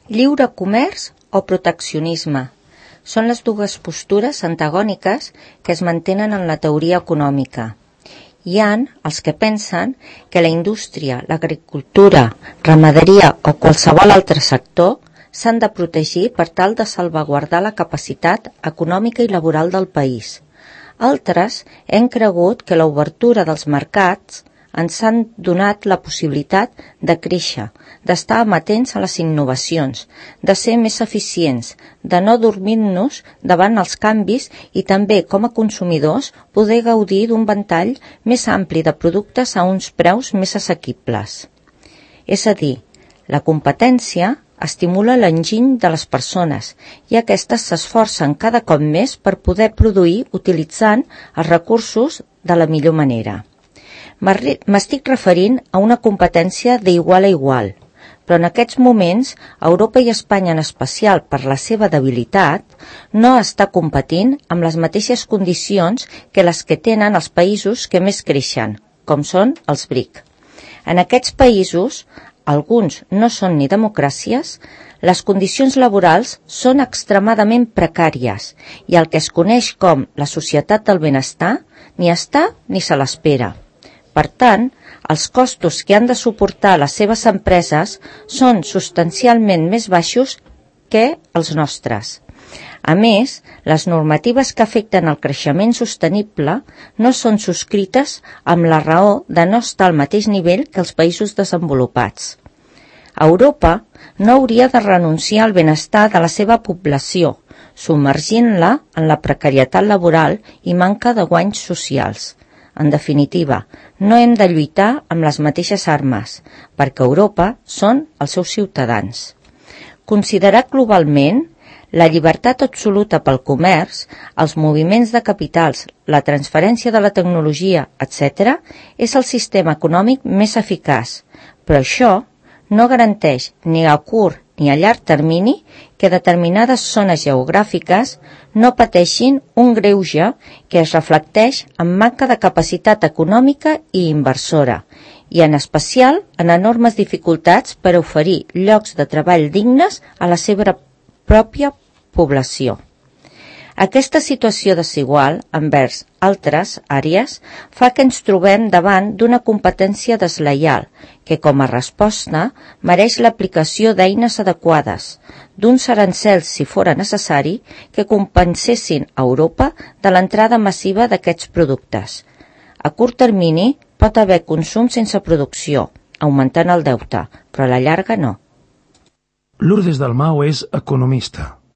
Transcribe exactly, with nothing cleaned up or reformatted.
Lliure comerç o proteccionisme són les dues postures antagòniques que es mantenen en la teoria econòmica. Hi ha els que pensen que la indústria, l'agricultura, ramaderia o qualsevol altre sector s'han de protegir per tal de salvaguardar la capacitat econòmica i laboral del país. Altres hem cregut que l'obertura dels mercats ens han donat la possibilitat de créixer, d'estar amatents a les innovacions, de ser més eficients, de no dormir-nos davant els canvis i també, com a consumidors, poder gaudir d'un ventall més ampli de productes a uns preus més assequibles. És a dir, la competència estimula l'enginy de les persones i aquestes s'esforcen cada cop més per poder produir utilitzant els recursos de la millor manera. M'estic referint a una competència d'igual a igual, però en aquests moments Europa i Espanya en especial per la seva debilitat no està competint amb les mateixes condicions que les que tenen els països que més creixen, com són els B R I C. En aquests països, alguns no són ni democràcies, les condicions laborals són extremadament precàries i el que es coneix com la societat del benestar ni està ni se l'espera. Per tant, els costos que han de suportar les seves empreses són substancialment més baixos que els nostres. A més, les normatives que afecten el creixement sostenible no són subscrites amb la raó de no estar al mateix nivell que els països desenvolupats. Europa no hauria de renunciar al benestar de la seva població, submergint-la en la precarietat laboral i manca de guanys socials. En definitiva, no hem de lluitar amb les mateixes armes, perquè Europa són els seus ciutadans. Considerat globalment, la llibertat absoluta pel comerç, els moviments de capitals, la transferència de la tecnologia, etcètera, és el sistema econòmic més eficaç, però això no garanteix ni a curt ni a llarg termini que determinades zones geogràfiques no pateixin un greuge que es reflecteix en manca de capacitat econòmica i inversora, i en especial en enormes dificultats per oferir llocs de treball dignes a la seva pròpia població. Aquesta situació desigual envers altres àrees fa que ens trobem davant d'una competència deslleial que, com a resposta, mereix l'aplicació d'eines adequades, d'uns arancels, si fora necessari, que compensessin a Europa de l'entrada massiva d'aquests productes. A curt termini pot haver consum sense producció, augmentant el deute, però a la llarga no. Lourdes Dalmau és economista.